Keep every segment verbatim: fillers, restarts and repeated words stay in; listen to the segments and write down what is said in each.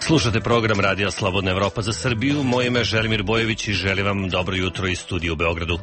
Slušate program Radija Slobodna Evropa za Srbiju. Moje ime je Želimir Bojević i želim vam dobro jutro iz studija u Beogradu.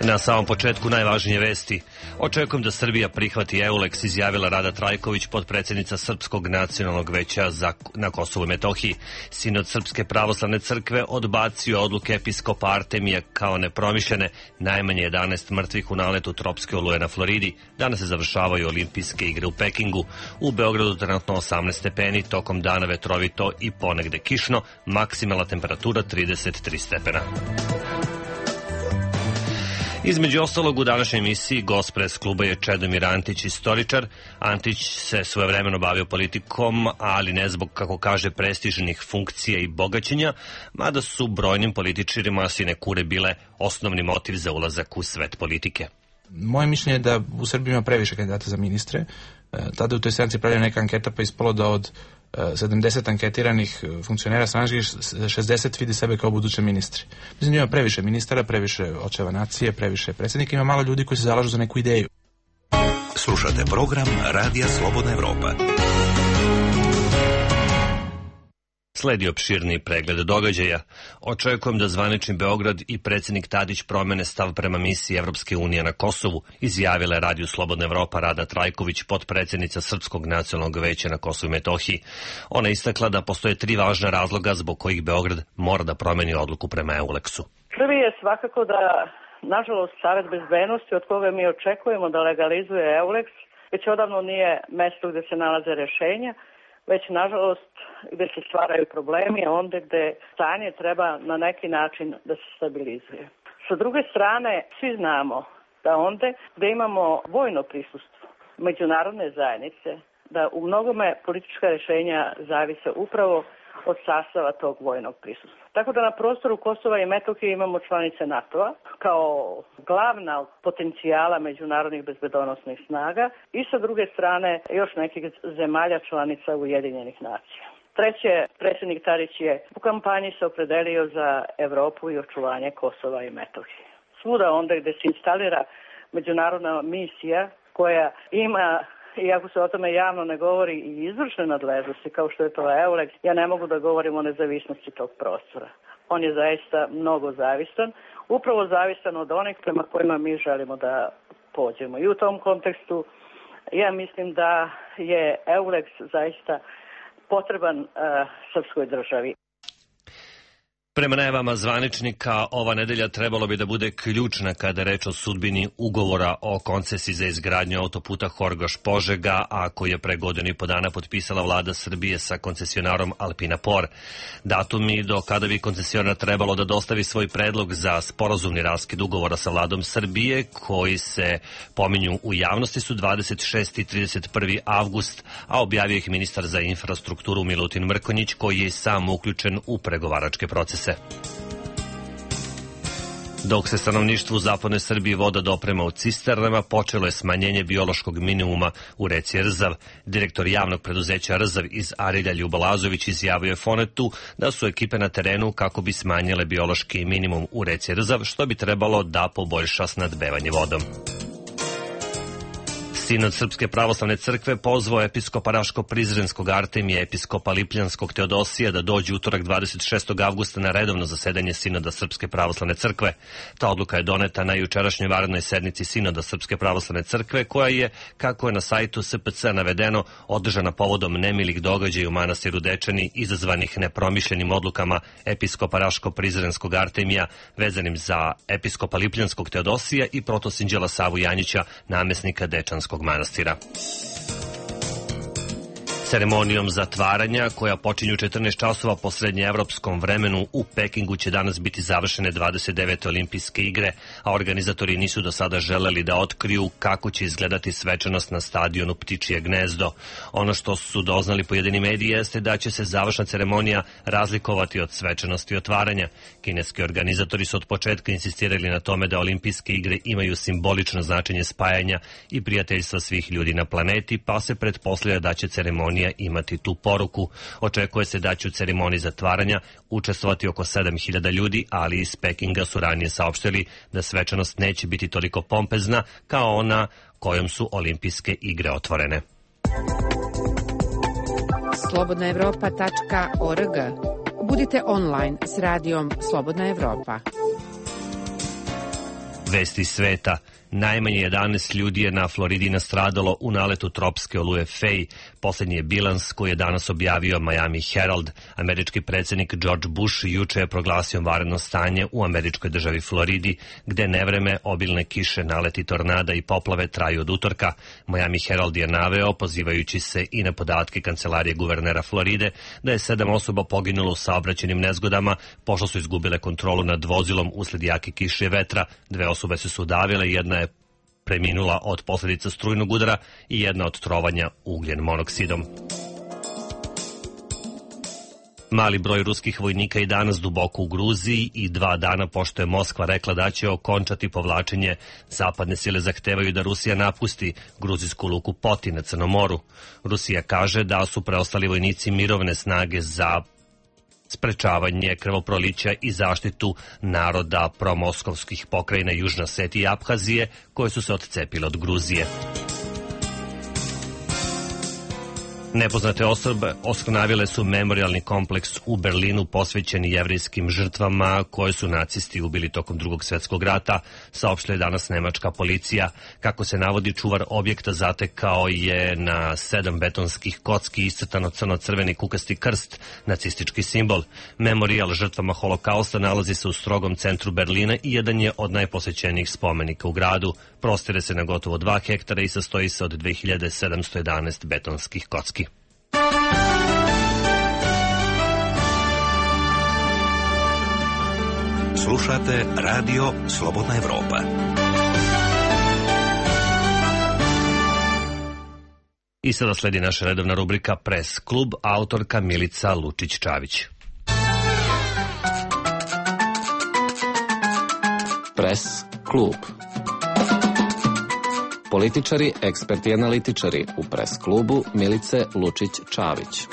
Na samom početku najvažnije vesti. Očekujem da Srbija prihvati EULEX, izjavila Rada Trajković, potpredsjednica Srpskog nacionalnog veća za, na Kosovu i Metohiji. Sinod Srpske pravoslavne crkve odbacio odluke episkopa Artemija kao nepromišljene. Najmanje jedanaest mrtvih u naletu tropske oluje na Floridi. Danas se završavaju olimpijske igre u Pekingu. U Beogradu trenutno osamnaest stepeni, tokom dana vetrovito i ponegde kišno, maksimalna temperatura trideset tri stepena. Između ostalog, u današnjoj emisiji gost pres kluba je Čedomir Antić, istoričar. Antić se svojevremeno bavio politikom, ali ne zbog, kako kaže, prestižnih funkcija i bogaćenja, mada su brojnim političarima sinekure bile osnovni motiv za ulazak u svet politike. Moje mišljenje je da u Srbiji ima previše kandidata za ministre. Tada u toj stranci pravljena neka anketa, pa ispalo da od sedamdeset anketiranih funkcionera stranačkih šezdeset vidi sebe kao buduće ministri. Mislim da ima previše ministara, previše očeva nacije, previše predsjednika, ima malo ljudi koji se zalažu za neku ideju. Slušate program Radija Slobodna Evropa. Sledi opširni pregled događaja. Očekujem da zvanični Beograd i predsjednik Tadić promene stav prema misiji Evropske unije na Kosovu, izjavila je Radiju Slobodna Evropa Rada Trajković, potpredsjednica Srpskog nacionalnog veća na Kosovu i Metohiji. Ona istakla da postoje tri važna razloga zbog kojih Beograd mora da promeni odluku prema EULEX-u. Prvi je svakako da, nažalost, Savet bezbednosti, od koga mi očekujemo da legalizuje EULEX, već odavno nije mesto gde se nalaze rešenja, već nažalost gde se stvaraju problemi, a onda gde stanje treba na neki način da se stabilizuje. Sa druge strane, svi znamo da onda gde imamo vojno prisustvo međunarodne zajednice, da u mnogome politička rešenja zavise upravo od sastava tog vojnog prisustva. Tako da na prostoru Kosova i Metohije imamo članice NATO-a kao glavna potencijala međunarodnih bezbedonosnih snaga i sa druge strane još nekih zemalja članica Ujedinjenih nacija. Treće, predsjednik Tadić je u kampanji se opredelio za Evropu i očuvanje Kosova i Metohije. Svuda onda gde se instalira međunarodna misija koja ima, iako se o tome javno ne govori, i izvršne nadležnosti kao što je to EULEX, ja ne mogu da govorim o nezavisnosti tog prostora. On je zaista mnogo zavistan, upravo zavistan od onih prema kojima mi želimo da pođemo. I u tom kontekstu ja mislim da je EULEX zaista potreban uh, srpskoj državi. Prema najavama zvaničnika, ova nedelja trebalo bi da bude ključna kada je reč o sudbini ugovora o koncesiji za izgradnju autoputa Horgoš-Požega, a koji je pre godinu i po dana potpisala vlada Srbije sa koncesionarom Alpina Por. Datumi do kada bi koncesionar trebalo da dostavi svoj predlog za sporazumni raskid ugovora sa vladom Srbije, koji se pominju u javnosti, su dvadeset šesti i trideset prvi avgust, a objavio ih ministar za infrastrukturu Milutin Mrkonjić, koji je sam uključen u pregovaračke procese. Dok se stanovništvu u zapadnoj Srbiji voda doprema u cisternama, počelo je smanjenje biološkog minimuma u reci Rzav. Direktor javnog preduzeća Rzav iz Arilja Ljubo Lazović izjavio je Fonetu da su ekipe na terenu kako bi smanjile biološki minimum u reci Rzav, što bi trebalo da poboljša snadbevanje vodom. Sinod Srpske pravoslavne crkve pozvao episkopa Raško-Prizrenskog Artemija, episkopa Lipljanskog Teodosija da dođe utorak dvadeset šestog avgusta na redovno zasedanje Sinoda Srpske pravoslavne crkve. Ta odluka je doneta na jučerašnjoj vanrednoj sednici Sinoda Srpske pravoslavne crkve, koja je, kako je na sajtu S P C navedeno, održana povodom nemilih događaja u manastiru Dečani izazvanih nepromišljenim odlukama episkopa Raško-Prizrenskog Artemija vezanim za episkopa Lipljanskog Teodosija i protosinđela Savu Janjića, namesnika Dečanskog manastira. Ceremonijom zatvaranja, koja počinje u četrnaest časova po srednjeevropskom vremenu, u Pekingu će danas biti završene dvadeset devete olimpijske igre, a organizatori nisu do sada želeli da otkriju kako će izgledati svečanost na stadionu Ptičije gnezdo. Ono što su doznali pojedini mediji jeste da će se završna ceremonija razlikovati od svečanosti otvaranja. Kineski organizatori su od početka insistirali na tome da olimpijske igre imaju simbolično značenje spajanja i prijateljstva svih ljudi na planeti, pa se pretpostavlja da će ceremonija imati tu poruku. Očekuje se da će u ceremoniji zatvaranja učestvovati oko sedam hiljada ljudi, ali iz Pekinga su ranije saopštili da svečanost neće biti toliko pompezna kao ona kojom su olimpijske igre otvorene. slobodna evropa tačka org. Budite online s radijom Slobodna Evropa. Vesti sveta. Najmanje jedanaest ljudi je na Floridi nastradalo u naletu tropske oluje Fej. Poslednji je bilans koji je danas objavio Miami Herald. Američki predsjednik George Bush juče je proglasio vanredno stanje u američkoj državi Floridi, gde nevreme, obilne kiše, naleti tornada i poplave traju od utorka. Miami Herald je naveo, pozivajući se i na podatke kancelarije guvernera Floride, da je sedam osoba poginulo u saobraćajnim nezgodama, pošto su izgubile kontrolu nad vozilom usled jake kiše i vetra. Dve osobe su se udavile, jedna je preminula od posljedica strujnog udara i jedna od trovanja ugljen monoksidom. Mali broj ruskih vojnika i danas duboko u Gruziji i dva dana pošto je Moskva rekla da će okončati povlačenje, zapadne sile zahtevaju da Rusija napusti gruzijsku luku Poti na Crnom moru. Rusija kaže da su preostali vojnici mirovne snage za sprečavanje krvoprolića i zaštitu naroda promoskovskih pokrajina Južna Osetije i Abhazije koje su se odcepile od Gruzije. Nepoznate osobe oskrnavile su memorialni kompleks u Berlinu posvećeni jevrijskim žrtvama koje su nacisti ubili tokom Drugog svjetskog rata, saopštila je danas nemačka policija. Kako se navodi, čuvar objekta zatekao je na sedam betonskih kocki iscrtano crno-crveni kukasti krst, nacistički simbol. Memorijal žrtvama holokausta nalazi se u strogom centru Berlina i jedan je od najposećenijih spomenika u gradu. Prostire se na gotovo dva hektara i sastoji se od dve hiljade sedamsto jedanaest betonskih kocki. Slušate Radio Slobodna Evropa. I sada sledi naša redovna rubrika Press klub, autorka Milica Lučić-Čavić. Press klub. Političari, eksperti i analitičari u Press klubu Milice Lučić-Čavić.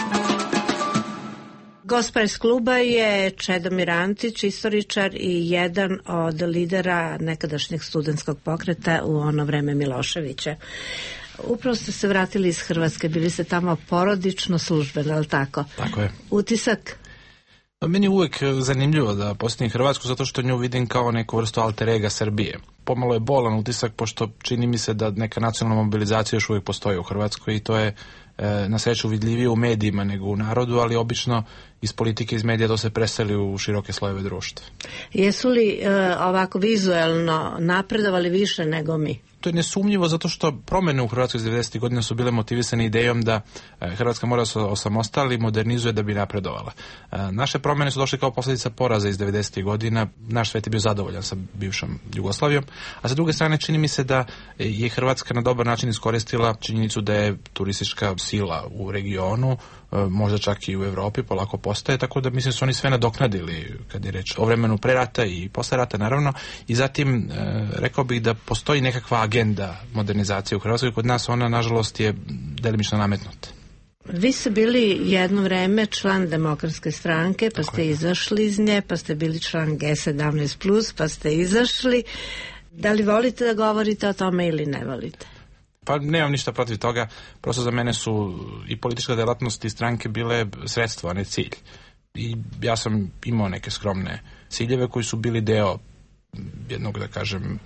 Gost Press kluba je Čedomir Antić, istoričar i jedan od lidera nekadašnjeg studentskog pokreta u ono vreme Miloševića. Upravo ste se vratili iz Hrvatske, bili ste tamo porodično, službeno, ali tako? Tako je. Utisak? Meni je uvek zanimljivo da posjetim Hrvatsku zato što nju vidim kao neku vrstu alter ega Srbije. Pomalo je bolan utisak pošto čini mi se da neka nacionalna mobilizacija još uvijek postoji u Hrvatskoj i to je e, na sreću vidljivije u medijima nego u narodu, ali obično iz politike, iz medija to se preseli u široke slojeve društva. Jesu li e, ovako vizuelno napredovali više nego mi? To je nesumnjivo zato što promjene u Hrvatskoj iz devedesetih godina su bile motivisane idejom da Hrvatska mora se osamostali i modernizuje da bi napredovala. Naše promjene su došle kao posljedica poraza iz devedesetih godina. Naš svet je bio zadovoljan sa bivšom Jugoslavijom, a sa druge strane čini mi se da je Hrvatska na dobar način iskoristila činjenicu da je turistička sila u regionu, možda čak i u Evropi polako postaje, tako da mislim su oni sve nadoknadili kad je reč o vremenu pre rata i posle rata naravno, i zatim e, rekao bih da postoji nekakva agenda modernizacije u Hrvatskoj, kod nas ona nažalost je delimično nametnuta. Vi ste bili jedno vreme član Demokratske stranke, pa ste izašli iz nje, pa ste bili član G sedamnaest plus, pa ste izašli. Da li volite da govorite o tome ili ne volite? Pa nemam ništa protiv toga, prosto za mene su i politička delatnost i stranke bile sredstvo, a ne cilj. I ja sam imao neke skromne ciljeve koji su bili deo jednog, da kažem,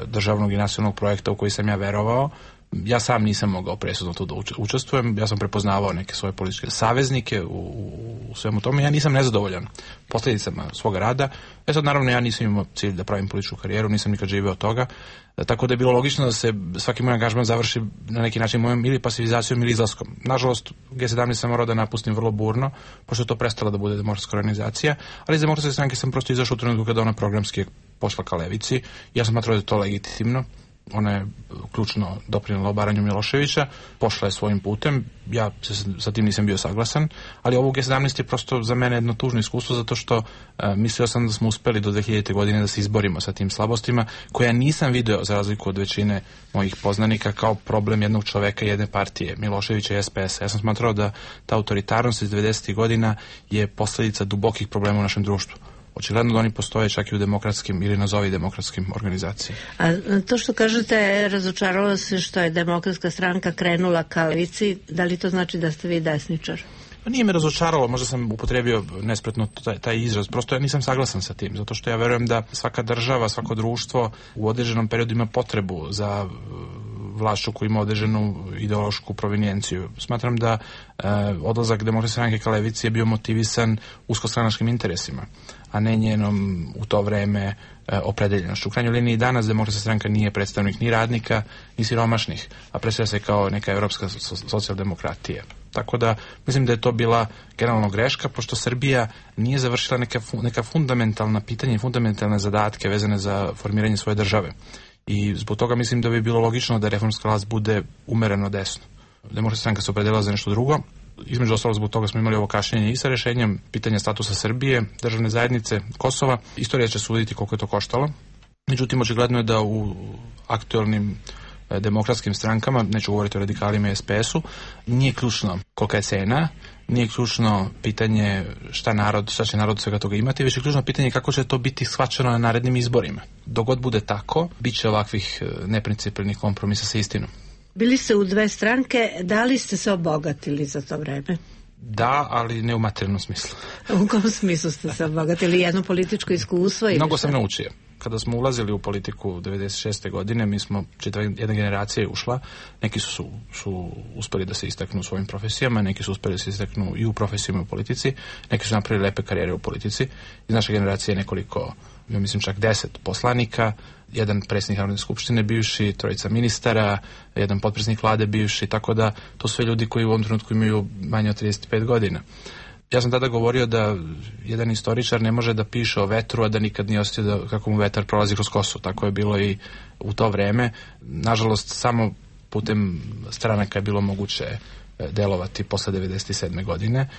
državnog i nacionalnog projekta u koji sam ja verovao. Ja sam nisam mogao presudno tu da učestvujem, ja sam prepoznavao neke svoje političke saveznike u, u, u svemu tome. Ja nisam nezadovoljan posljedicama svoga rada. E sad, naravno, ja nisam imao cilj da pravim političku karijeru, nisam nikad živeo od toga, tako da je bilo logično da se svaki moj angažman završi na neki način mojom ili pasivizacijom ili izlaskom. Nažalost, G sedamnaest sam morao da napustim vrlo burno, pošto je to prestala da bude demokratska organizacija, ali iz Demokratske stranke sam prosto izašao u trenutku kada ona programski pošla ka levici. Ja sam smatrao da je to legitimno. Ona je ključno doprinela obaranju Miloševića, pošla je svojim putem, ja se sa tim nisam bio saglasan, ali ovo G sedamnaest je prosto za mene jedno tužno iskustvo zato što uh, mislio sam da smo uspeli do dve hiljadite godine da se izborimo sa tim slabostima, koja nisam video za razliku od većine mojih poznanika kao problem jednog čoveka, jedne partije, Miloševića i S P S. Ja sam smatrao da ta autoritarnost iz devedesetih godina je posljedica dubokih problema u našem društvu. Očigledno da oni postoje čak i u demokratskim ili nazovi demokratskim organizacijama. A to što kažete, razočaralo se što je Demokratska stranka krenula ka levici, da li to znači da ste vi desničar? Pa nije me razočaralo, možda sam upotrebio nespretno taj, taj izraz, prosto ja nisam saglasan sa tim, zato što ja verujem da svaka država, svako društvo u određenom periodu ima potrebu za vlašću koja ima određenu ideološku provenijenciju. Smatram da e, odlazak Demokratske stranke ka levici je bio motivisan uskostranačkim interesima, a ne njenom u to vreme e, opredeljenošću. U krajnjoj liniji danas Demokratska stranka nije predstavnik ni radnika, ni siromašnih, a predstavlja se kao neka evropska socijaldemokratija. Tako da mislim da je to bila generalno greška, pošto Srbija nije završila neka, neka fundamentalna pitanja i fundamentalne zadatke vezane za formiranje svoje države. I zbog toga mislim da bi bilo logično da reformska vlast bude umereno desno. Demokratska stranka se opredelila za nešto drugo. Između ostalog zbog toga smo imali ovo kašnjenje i sa rešenjem pitanja statusa Srbije, državne zajednice, Kosova. Istorija će suditi koliko je to koštalo. Međutim, očigledno je da u aktualnim demokratskim strankama, neću govoriti o radikalima i es pe esu, nije ključno kolika je cena, nije ključno pitanje šta narod, šta će narod svega toga imati, već je ključno pitanje kako će to biti shvaćeno na narednim izborima. Dok god bude tako, bit će ovakvih neprincipijelnih kompromisa sa istinom. Bili ste u dve stranke, da li ste se obogatili za to vreme? Da, ali ne u materijalnom smislu. U kom smislu ste se obogatili? Jedno političko iskustvo? Ili Mnogo šta? sam naučio. Kada smo ulazili u politiku devedeset šeste. godine, mi smo, čitava jedna generacija je ušla, neki su, su uspeli da se istaknu u svojim profesijama, neki su uspeli da se istaknu i u profesijama i u politici, neki su napravili lepe karijere u politici. Iz naše generacije nekoliko, ja mislim čak deset poslanika, jedan predsjednik Narodne skupštine bivši, trojica ministara, jedan potpredsjednik vlade bivši, tako da to su sve ljudi koji u ovom trenutku imaju manje od trideset pet godina. Ja sam tada govorio da jedan istoričar ne može da piše o vetru, a da nikad nije osjetio da kako mu vetar prolazi kroz kosu. Tako je bilo i u to vreme. Nažalost, samo putem stranaka je bilo moguće delovati posle devedeset sedme. godine.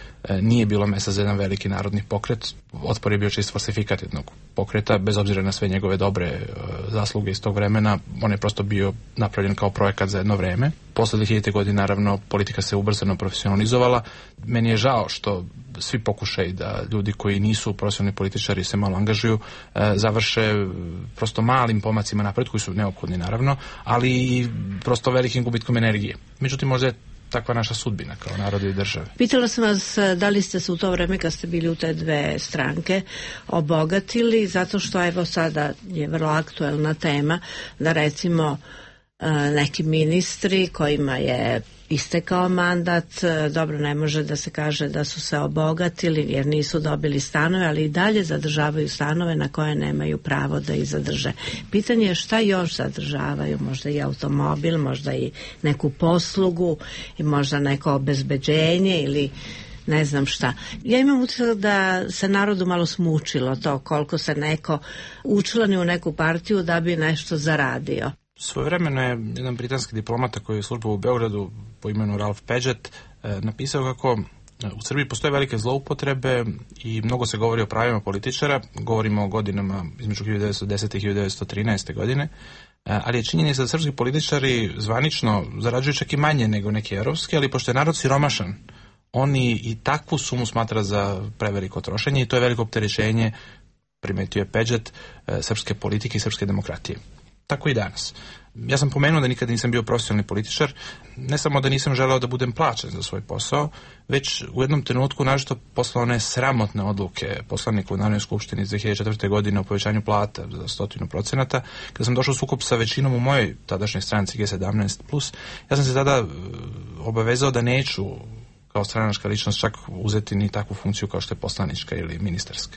Nije bilo mesta za jedan veliki narodni pokret. Otpor je bio čist falsifikat jednog pokreta, bez obzira na sve njegove dobre zasluge iz tog vremena. On je prosto bio napravljen kao projekat za jedno vreme. Posle dve hiljadite. godine, naravno, politika se ubrzano profesionalizovala. Meni je žao što svi pokušaj da ljudi koji nisu profesionalni političari se malo angažuju, završe prosto malim pomacima napred, koji su neophodni, naravno, ali i prosto velikim gubitkom energije. Međutim, možda je takva naša sudbina kao naroda i države. Pitala sam vas da li ste se u to vreme kad ste bili u te dve stranke obogatili, zato što evo sada je vrlo aktuelna tema da recimo neki ministri kojima je istekao mandat, dobro, ne može da se kaže da su se obogatili jer nisu dobili stanove, ali i dalje zadržavaju stanove na koje nemaju pravo da ih zadrže. Pitanje je šta još zadržavaju, možda i automobil, možda i neku poslugu i možda neko obezbeđenje ili ne znam šta. Ja imam utisak da se narodu malo smučilo to koliko se neko učlani u neku partiju da bi nešto zaradio. Svojevremeno je jedan britanski diplomata koji je službao u Beogradu po imenu Ralph Paget napisao kako u Srbiji postoje velike zloupotrebe i mnogo se govori o pravima političara, govorimo o godinama između hiljadu devetsto desete i hiljadu devetsto trinaeste. godine, ali je činjenica da srpski političari zvanično zarađuju čak i manje nego neki evropski, ali pošto je narod siromašan, oni i takvu sumu smatra za preveliko trošenje i to je veliko opterećenje, primetio je Paget, srpske politike i srpske demokratije. Tako i danas. Ja sam pomenuo da nikad nisam bio profesionalni političar, ne samo da nisam želeo da budem plaćen za svoj posao, već u jednom trenutku nažito posle one sramotne odluke poslanika u Narodnoj skupštini iz dve hiljade četvrte. godine o povećanju plata za stotinu procenata, kada sam došao u sukob sa većinom u mojoj tadašnjoj stranci G sedamnaest plus, ja sam se tada obavezao da neću kao stranačka ličnost čak uzeti ni takvu funkciju kao što je poslanička ili ministarska.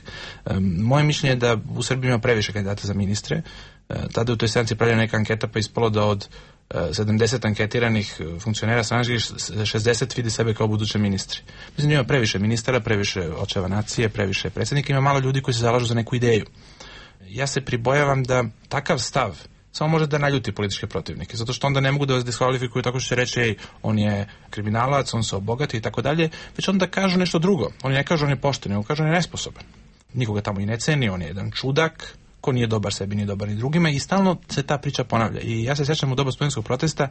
Moje mišljenje je da u Srbiji ima previše kandidata za ministre. Tada u toj stranci pravljena neka anketa pa ispalo da od sedamdeset anketiranih funkcionera stranačkih šezdeset vidi sebe kao buduće ministri. Mislim da ima previše ministara, previše očeva nacije, previše predsjednika, ima malo ljudi koji se zalažu za neku ideju. Ja se pribojavam da takav stav samo može da naljuti političke protivnike, zato što onda ne mogu da vas diskvalifikuju tako što će reći ej, on je kriminalac, on se obogati i tako dalje, već onda kažu nešto drugo. Oni ne kažu on je pošten, nego kažu on je nesposoban. Nikoga tamo i ne ceni, on je jedan čudak, ko nije dobar sebi, nije dobar ni drugima i stalno se ta priča ponavlja. I ja se sjećam u doba studentskog protesta,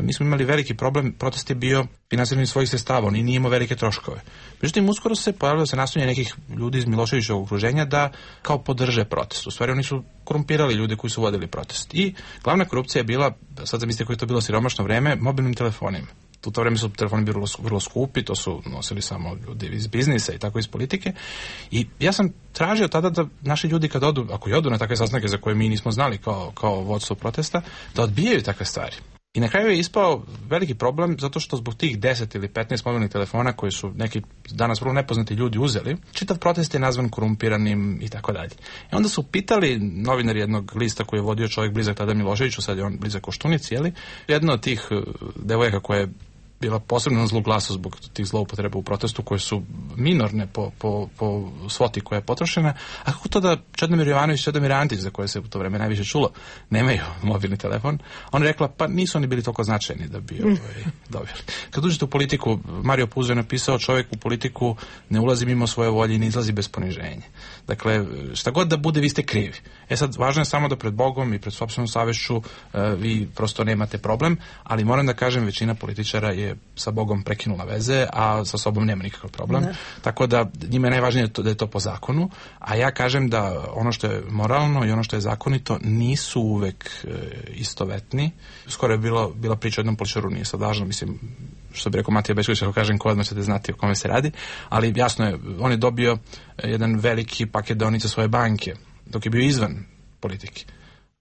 mi smo imali veliki problem, protest je bio finansiranje svojih sredstava, on nije imao velike troškove. Međutim, uskoro se pojavilo se nastojanje nekih ljudi iz Miloševićevog okruženja da kao podrže protest. U stvari oni su korumpirali ljude koji su vodili protest. I glavna korupcija je bila, sad zamislite koje je to bilo siromašno vreme, mobilnim telefonima. u to vreme su telefoni bili vrlo, vrlo skupi, to su nosili samo ljudi iz biznisa i tako iz politike. I ja sam tražio tada da naši ljudi kad odu, ako i odu na takve sastanke za koje mi nismo znali kao, kao vodstvo protesta, da odbijaju takve stvari. I na kraju je ispao veliki problem zato što zbog tih deset ili petnaest mobilnih telefona koji su neki danas vrlo nepoznati ljudi uzeli, čitav protest je nazvan korumpiranim i tako dalje. I onda su pitali novinari jednog lista koji je vodio čovjek blizak tada Miloševiću, sad je on blizak Koštunici, jeli? Jedna od tih devojaka koja je bila posebno na zlu glasu zbog tih zloupotreba u protestu koje su minorne po, po, po svoti koja je potrošena. A kako to da Čedomir Jovanović i Čedomir Antić, za koje se u to vreme najviše čulo, nemaju mobilni telefon? Ona je rekla, pa nisu oni bili toliko značajni da bi ovaj, dobili. Kad uđete u politiku, Mario Puzo je napisao, čovjek u politiku ne ulazi mimo svoje volje i ne izlazi bez poniženja. Dakle, šta god da bude, vi ste krivi. E sad, važno je samo da pred Bogom i pred sopstvenom savješću uh, vi prosto nemate problem, ali moram da kažem, većina političara je sa Bogom prekinula veze, a sa sobom nema nikakav problem. Ne. Tako da njima je najvažnije da je to po zakonu, a ja kažem da ono što je moralno i ono što je zakonito nisu uvek e, istovetni. Skoro je bilo, bila priča o jednom političaru, nije sad važno, mislim, što bi rekao Matija Bećković, ako kažem ko, odmah ćete znati o kome se radi, ali jasno je, on je dobio jedan veliki paket dionica svoje banke, dok je bio izvan politike.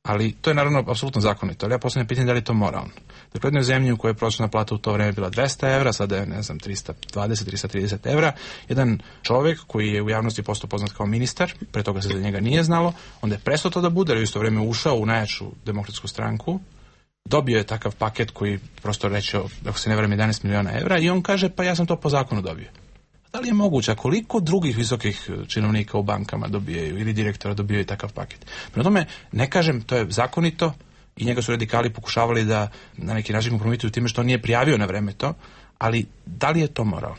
Ali to je naravno apsolutno zakonito, ali ja postavljam pitanje da li je to moralno. Dakle, u jednoj zemlji u kojoj je prosječna plata u to vreme bila dvesta evra, sada je, ne znam, trista dvadeset do trista trideset evra, jedan čovjek koji je u javnosti postao poznat kao ministar, pre toga se za njega nije znalo, onda je prestao to da bude, jer je u isto vreme ušao u najjaču demokratsku stranku, dobio je takav paket koji prosto rečeo, ako se ne varam, jedanaest miliona evra, i on kaže, pa ja sam to po zakonu dobio. Da li je moguće, a koliko drugih visokih činovnika u bankama dobijaju ili direktora dobijaju takav paket? Prema tome, ne kažem, to je zakonito i njega su radikali pokušavali da na neki način kompromituju time što on nije prijavio na vreme to, ali da li je to moralno?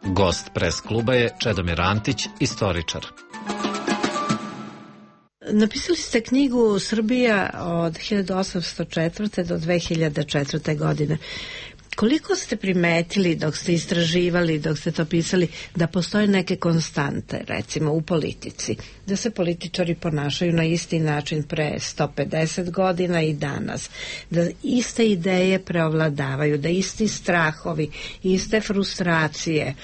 Gost pres kluba je Čedomir Antić, istoričar. Napisali ste knjigu Srbija od hiljadu osamsto četvrte do dve hiljade četvrte. godine. Koliko ste primetili dok ste istraživali, dok ste to pisali, da postoje neke konstante, recimo u politici, da se političari ponašaju na isti način pre sto pedeset godina i danas, da iste ideje preovladavaju, da isti strahovi, iste frustracije,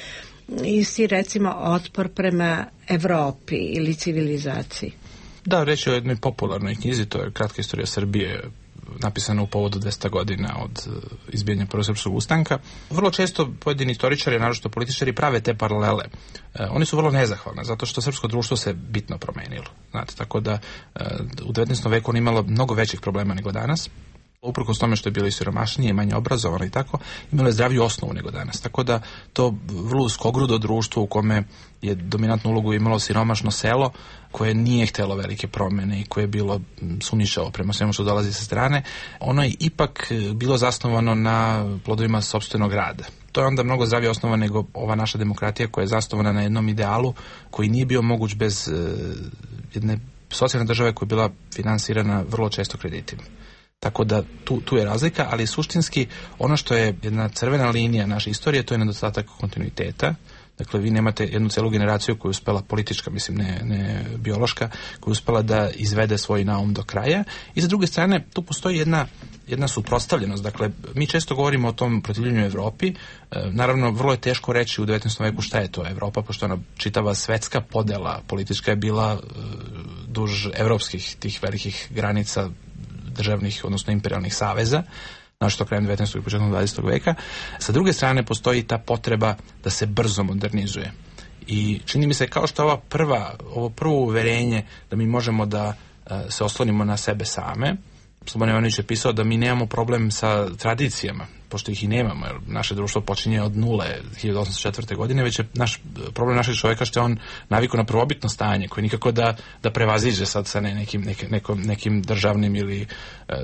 isti recimo otpor prema Evropi ili civilizaciji? Da, reći o jednoj popularnoj knjizi, to je Kratka istorija Srbije, napisana u povodu dvesta godina od izbijanja Prvog srpskog ustanka. Vrlo često pojedini istoričari, naročito političari, prave te paralele. E, oni su vrlo nezahvalni, zato što srpsko društvo se bitno promenilo. Znate, tako da e, u devetnaestom veku on imalo mnogo većih problema nego danas. Uprkos tome što je bilo i siromašnije, manje obrazovano i tako, imalo je zdraviju osnovu nego danas. Tako da to vrlo uskogrudo društvo u kome je dominantnu ulogu imalo siromašno selo koje nije htjelo velike promjene i koje je bilo sumnjičavo prema svemu što dolazi sa strane, ono je ipak bilo zasnovano na plodovima sopstvenog rada. To je onda mnogo zdravije osnova nego ova naša demokratija koja je zasnovana na jednom idealu koji nije bio moguć bez uh, jedne socijalne države koja je bila finansirana vrlo često kreditima. Tako da tu, tu je razlika, ali suštinski ono što je jedna crvena linija naše istorije, to je nedostatak kontinuiteta. Dakle, vi nemate jednu celu generaciju koja je uspela, politička, mislim, ne, ne biološka, koja je uspela da izvede svoj naum do kraja. I sa druge strane, tu postoji jedna, jedna suprotstavljenost. Dakle, mi često govorimo o tom protivljenju Evropi. E, naravno, vrlo je teško reći u devetnaestom veku šta je to Evropa, pošto ona čitava svetska podela politička je bila e, duž evropskih tih velikih granica državnih, odnosno imperialnih saveza, našto krajem devetnaestog i početkom dvadesetog veka. Sa druge strane postoji ta potreba da se brzo modernizuje. I čini mi se kao što ova prva, ovo prvo uverenje da mi možemo da uh, se oslonimo na sebe same. Slobodan Jovanović je pisao da mi nemamo problem sa tradicijama, pošto ih i nemamo, jer naše društvo počinje od nule hiljadu osamsto četvrte. godine, već je naš, problem našeg čovjeka što je on navikao na prvobitno stanje, koje nikako da, da prevaziđe sad sa ne, nekim, nekim, nekim, nekim državnim ili e,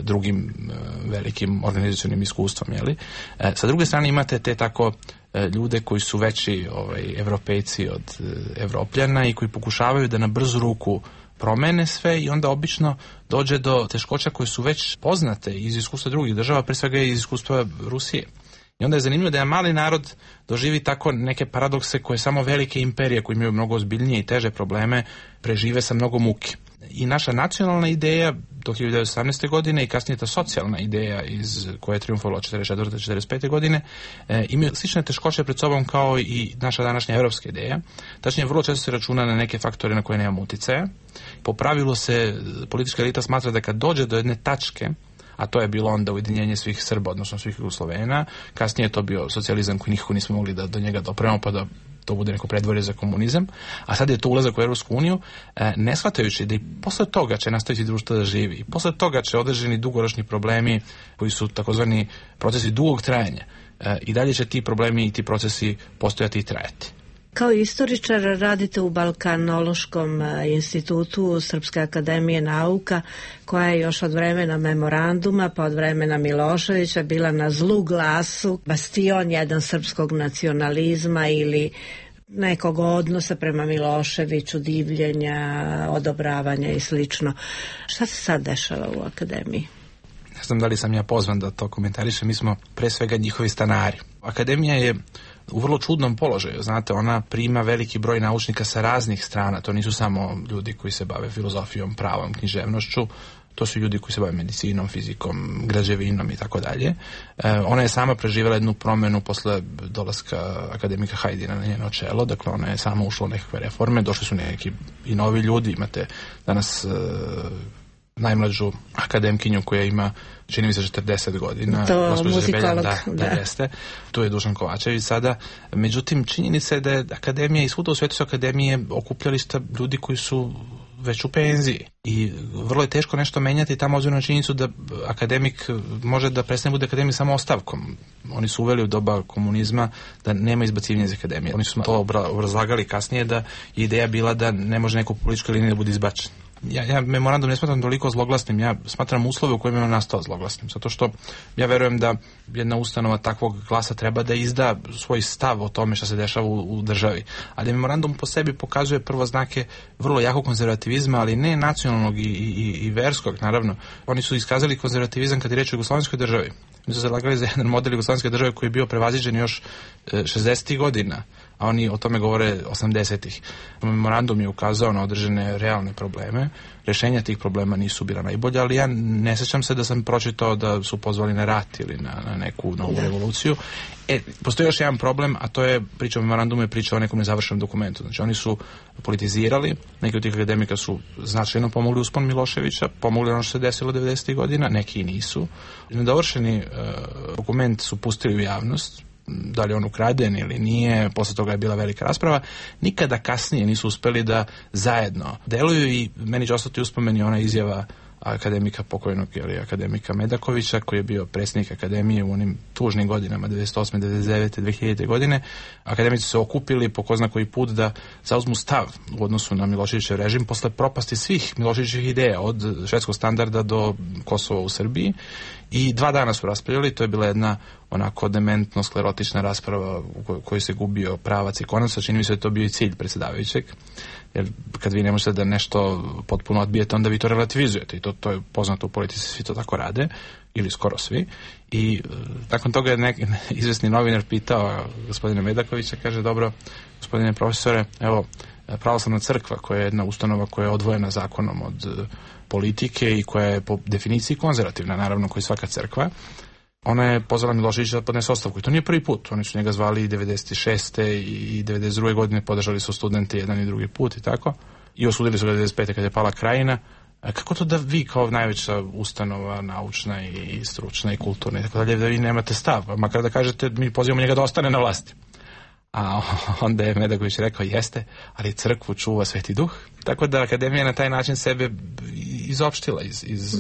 drugim e, velikim organizacionim iskustvom. Jeli? E, sa druge strane imate te tako e, ljude koji su veći ovaj, evropejci od e, Evropljana i koji pokušavaju da na brzu ruku promene sve i onda obično dođe do teškoća koje su već poznate iz iskustva drugih država, pre svega iz iskustva Rusije. I onda je zanimljivo da je mali narod doživi tako neke paradokse koje samo velike imperije koje imaju mnogo ozbiljnije i teže probleme prežive sa mnogo muke. I naša nacionalna ideja do hiljadu devetsto osamnaeste. godine i kasnije ta socijalna ideja iz koja je triumfovala četrdeset četvrte. do četrdeset pete. godine e, imaju slične teškoće pred sobom kao i naša današnja evropska ideja. Tačnije, vrlo često se računa na neke faktore na koje nemamo uticaja. Po pravilu se politička elita smatra da kad dođe do jedne tačke, a to je bilo onda ujedinjenje svih Srba, odnosno svih Jugoslovena, kasnije je to bio socijalizam koji nikako nismo mogli da do njega dopremo, pa da to bude neko predvorje za komunizam, a sad je to ulazak u Evropsku uniju, ne shvatajući da i posle toga će nastaviti društvo da živi, i posle toga će određeni dugoročni problemi koji su takozvani procesi dugog trajanja, i dalje će ti problemi i ti procesi postojati i trajati. Kao istoričar radite u Balkanološkom institutu Srpske akademije nauka, koja je još od vremena memoranduma pa od vremena Miloševića bila na zlu glasu, bastion jedan srpskog nacionalizma ili nekog odnosa prema Miloševiću, divljenja, odobravanja i slično. Šta se sad dešava u akademiji? Ne znam da li sam ja pozvan da to komentarišem, mi smo pre svega njihovi stanari. Akademija je u vrlo čudnom položaju, znate, ona prima veliki broj naučnika sa raznih strana, to nisu samo ljudi koji se bave filozofijom, pravom, književnošću, to su ljudi koji se bave medicinom, fizikom, građevinom i tako dalje. Ona je sama preživjela jednu promenu posle dolaska akademika Hajdina na njeno čelo, dakle ona je sama ušla u nekakve reforme, došli su neki i novi ljudi, imate danas uh, najmlađu akademkinju koja ima, čini mi se, četrdeset godina. To muzikolog, da, da, da. Jeste. Tu je Dušan Kovačević sada. Međutim, činjenica je da je akademija i svuda u svetu su akademije okupljališta ljudi koji su već u penziji. I vrlo je teško nešto menjati tamo obzirom na činjenicu da akademik može da prestane bude akademik samo ostavkom. Oni su uveli u doba komunizma da nema izbacivanja iz akademije. Oni su to obrazlagali kasnije da je ideja bila da ne može neko političkoj liniji da bude izbačen. Ja, ja memorandum ne smatram toliko zloglasnim, ja smatram uslove u kojima je on nastao zloglasnim, zato što ja verujem da jedna ustanova takvog glasa treba da izda svoj stav o tome što se dešava u, u državi. Ali memorandum po sebi pokazuje prvo znake vrlo jakog konzervativizma, ali ne nacionalnog i, i, i verskog, naravno. Oni su iskazali konzervativizam kad je reč o jugoslovenskoj državi. Oni su zalagali za jedan model jugoslovenske države koji je bio prevaziđen još šezdesetih godina, a oni o tome govore osamdesetih. Memorandum je ukazao na određene realne probleme. Rešenja tih problema nisu bila najbolja, ali ja ne sećam se da sam pročitao da su pozvali na rat ili na, na neku novu revoluciju. E, postoji još jedan problem, a to je priča o memorandumu, je priča o nekom nezavršenom dokumentu. Znači, oni su politizirali, neki od tih akademika su značajno pomogli uspon Miloševića, pomogli ono što se desilo devedesetih godina, neki i nisu. Nedovršeni uh, dokument su pustili u javnost, da li je on ukraden ili nije, posle toga je bila velika rasprava, nikada kasnije nisu uspeli da zajedno deluju i meni će ostati uspomeni ona izjava akademika pokojnog, ili akademika Medakovića, koji je bio predsjednik akademije u onim tužnim godinama devedeset osme, devedeset devete, dve hiljadite. godine. Akademici su se okupili po ko zna koji put da zauzmu stav u odnosu na Miloševićev režim posle propasti svih Miloševićevih ideja, od švedskog standarda do Kosova u Srbiji, i dva dana su raspravljali. To je bila jedna onako dementno sklerotična rasprava u kojoj se gubio pravac i konac, čini mi se da je to bio i cilj predsjedavajućeg. Jer kad vi ne možete da nešto potpuno odbijete, onda vi to relativizujete, i to, to je poznato u politici, svi to tako rade, ili skoro svi. I nakon toga je nek, izvesni novinar pitao gospodina Medakovića, kaže, dobro, gospodine profesore, evo, pravoslavna crkva, koja je jedna ustanova koja je odvojena zakonom od politike i koja je po definiciji konzervativna, naravno, kao i svaka crkva, ona je pozvala Miloševića da podnese ostavku, i to nije prvi put. Oni su njega zvali i devedeset šeste i devedeset druge. godine, podržali su studente jedan i drugi put i tako, i osudili su ga devedeset pete. kad je pala Krajina. A kako to da vi kao najveća ustanova naučna i stručna i kulturna i tako dalje, da vi nemate stav, makar da kažete mi pozivamo njega da ostane na vlasti? A onda je Medaković rekao, jeste, ali crkvu čuva Sveti Duh. Tako da akademija na taj način sebe izopštila iz, iz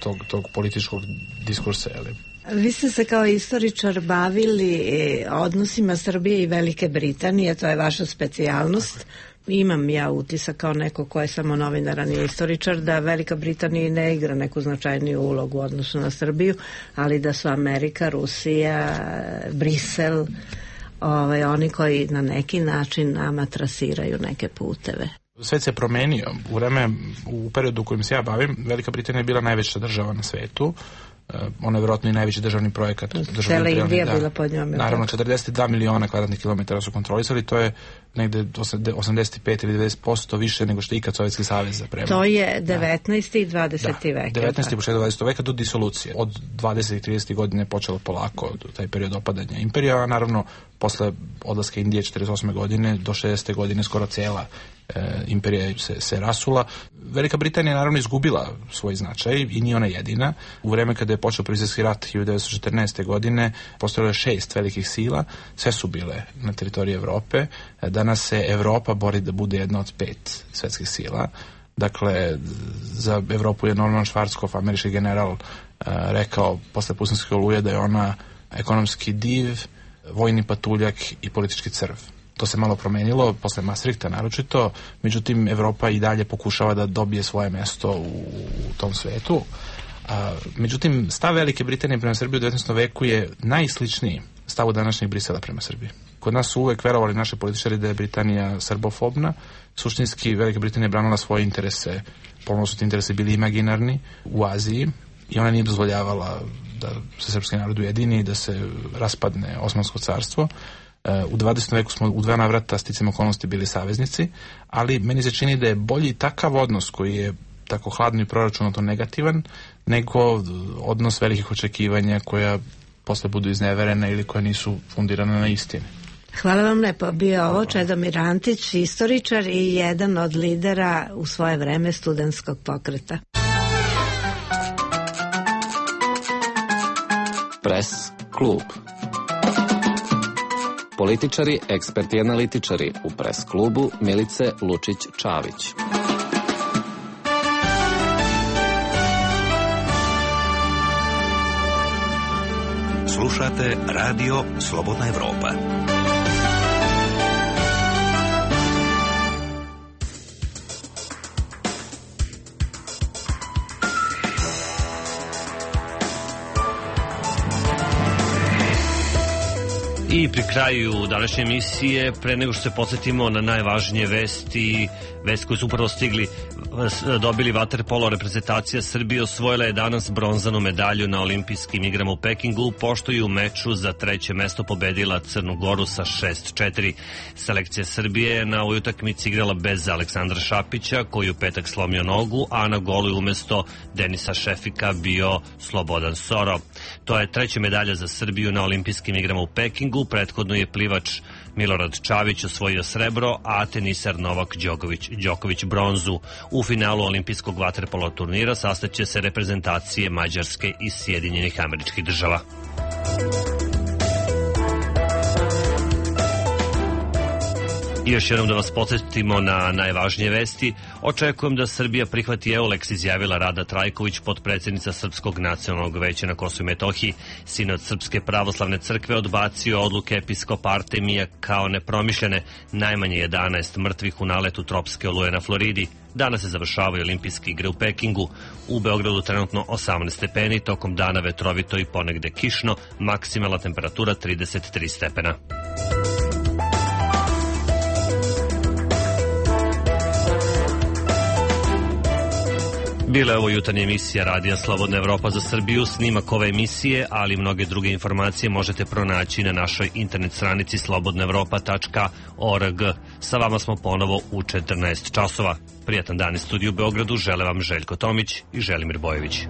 tog, tog političkog diskursa. Ali. Vi ste se kao istoričar bavili odnosima Srbije i Velike Britanije, to je vaša specijalnost. Imam ja utisak kao neko ko je samo novinar, a nije istoričar, da Velika Britanija ne igra neku značajniju ulogu u odnosu na Srbiju, ali da su Amerika, Rusija, Brisel, ovaj, oni koji na neki način nama trasiraju neke puteve. Svet se promenio. U vreme, u periodu u kojem se ja bavim, Velika Britanija je bila najveća država na svetu. Ono je vjerojatno i najveći državni projekat. Cela Indija da, bila pod njome. Naravno, četrdeset dva miliona kvadratnih kilometara su kontrolisali, to je negde osamdeset pet ili devedeset posto više nego što je ikad Sovjetski savez zapremao. To je devetnaesti i dvadeseti da, vek. devetnaesti i početak dvadesetog veka do disolucije. Od dvadesetih i tridesetih godine je počelo polako taj period opadanja imperija, a naravno posle odlaska Indije četrdeset osme godine do šezdesete godine skoro cela e, imperija se, se rasula. Velika Britanija je naravno izgubila svoj značaj i nije ona jedina. U vreme kada je počeo Prvi svjetski rat hiljadu devetsto četrnaeste. godine postojalo je šest velikih sila, sve su bile na teritoriji Evrope. Danas se Evropa bori da bude jedna od pet svetskih sila. Dakle, za Evropu je Norman Schwarzkopf, američki general, rekao posle Pustinske oluje da je ona ekonomski div, vojni patuljak i politički crv. To se malo promenilo, posle Maastrichta naročito, međutim Evropa i dalje pokušava da dobije svoje mesto u, u tom svetu. A, međutim, stav Velike Britanije prema Srbiji u devetnaestom veku je najsličniji stavu današnjeg Brisela prema Srbiji. Kod nas su uvek verovali naši političari da je Britanija srbofobna. Suštinski Velika Britanija je branila svoje interese, ponovno su ti interesi bili imaginarni u Aziji i ona nije dozvoljavala da se srpski narod ujedini i da se raspadne Osmansko carstvo. U dvadesetom veku smo u dva navrata sticam okolnosti bili saveznici, ali meni se čini da je bolji takav odnos koji je tako hladno i proračunato negativan, nego odnos velikih očekivanja koja posle budu izneverene ili koja nisu fundirane na istini. Hvala vam lepo. Bio ovo Čedomir Antić, istoričar i jedan od lidera u svoje vreme studentskog pokreta. Pres klub. Političari, eksperti i analitičari u Pres klubu Milice Lučić-Čavić. Slušate Radio Slobodna Evropa. I pri kraju današnje emisije, pre nego što se podsjetimo na najvažnije vesti, vesti koje su upravo stigli, dobili vaterpolo reprezentacija Srbije osvojila je danas bronzanu medalju na olimpijskim igrama u Pekingu, pošto je u meču za treće mesto pobedila Crnu Goru sa šest četiri. Selekcija Srbije na ovoj utakmici igrala bez Aleksandra Šapića, koji u petak slomio nogu, a na golu je umesto Denisa Šefika bio Slobodan Soro. To je treća medalja za Srbiju na olimpijskim igrama u Pekingu. Prethodno je plivač Milorad Čavić osvojio srebro, a teniser Novak Đoković, Đoković bronzu. U finalu olimpijskog vaterpolo turnira sastaće se reprezentacije Mađarske i Sjedinjenih Američkih Država. I još jednom da vas podsjetimo na najvažnije vesti. Očekujem da Srbija prihvati Eulex, izjavila Rada Trajković, potpredsjednica Srpskog nacionalnog veća na Kosovu i Metohiji. Sinod Srpske pravoslavne crkve odbacio odluke episkopa Artemija kao nepromišljene. Najmanje jedanaest mrtvih u naletu tropske oluje na Floridi. Danas se završavaju olimpijske igre u Pekingu. U Beogradu trenutno osamnaest stepeni, tokom dana vetrovito i ponegde kišno, maksimalna temperatura trideset tri stepena. Bila je ovo jutarnja emisija Radija Slobodna Evropa za Srbiju. Snimak ove emisije, ali i mnoge druge informacije možete pronaći na našoj internet stranici slobodna evropa tačka org. Sa vama smo ponovo u četrnaest časova. Prijatan dan iz studiju u Beogradu žele vam Željko Tomić i Želimir Bojević.